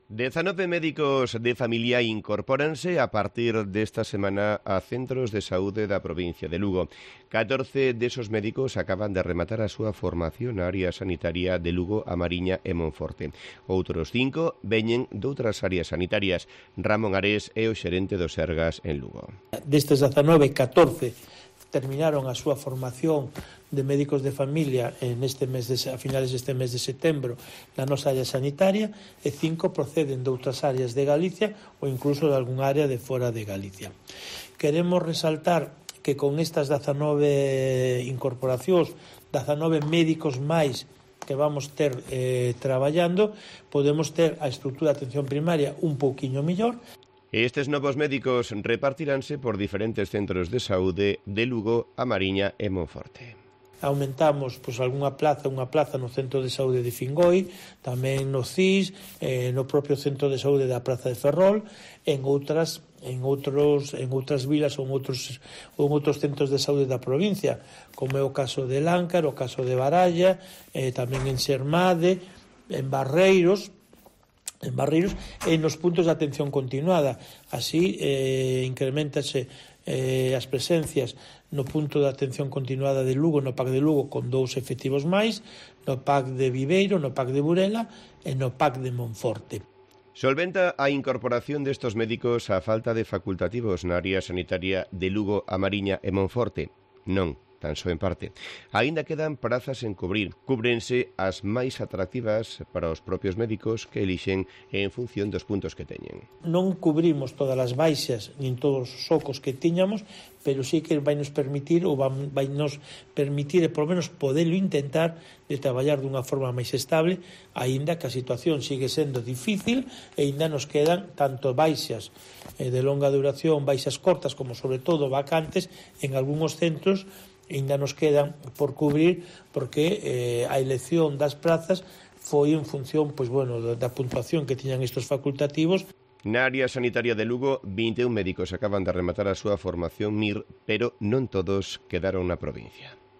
19 médicos de familia incorpóranse a partir desta semana a centros de saúde da provincia de Lugo. 14 desos médicos acaban de rematar a súa formación na área sanitaria de Lugo, A Mariña e Monforte. Outros 5 veñen doutras áreas sanitarias. Ramón Ares é o xerente do Sergas en Lugo. Destes 19, 14 terminaron a súa formación de médicos de familia a finales deste mes de setembro na nosa área sanitaria e 5 proceden de outras áreas de Galicia ou incluso de algún área de fora de Galicia. Queremos resaltar que con estas 19 incorporacións, 19 médicos máis que vamos ter traballando, podemos ter a estrutura de atención primaria un pouquiño mellor. Estes novos médicos repartiránse por diferentes centros de saúde de Lugo, A Mariña e Monforte. Aumentamos unha plaza no centro de saúde de Fingoi, tamén no CIS, no propio centro de saúde da Praza de Ferrol, en outras vilas ou en outros centros de saúde da provincia, como é o caso de Láncar, o caso de Baralla, tamén en Xermade, en Barreiros, e nos puntos de atención continuada. Así incrementase as presencias no punto de atención continuada de Lugo, no PAC de Lugo, con 2 efectivos máis, no PAC de Viveiro, no PAC de Burela e no PAC de Monforte. Solventa a incorporación destos médicos a falta de facultativos na área sanitaria de Lugo, A Mariña e Monforte? Non, tan só en parte. Aínda quedan prazas en cubrir. Cúbrense as máis atractivas para os propios médicos que elixen en función dos puntos que teñen. Non cubrimos todas as baixas nin todos os socos que tiñamos, pero sí que vai nos permitir e polo menos podelo intentar de traballar dunha forma máis estable, aínda que a situación sigue sendo difícil e aínda nos quedan tanto baixas de longa duración, baixas cortas, como sobre todo vacantes en algúns centros. Ainda nos quedan por cubrir porque a elección das prazas foi en función da puntuación que tiñan estes facultativos. Na área sanitaria de Lugo, 21 médicos acaban de rematar a súa formación MIR, pero non todos quedaron na provincia.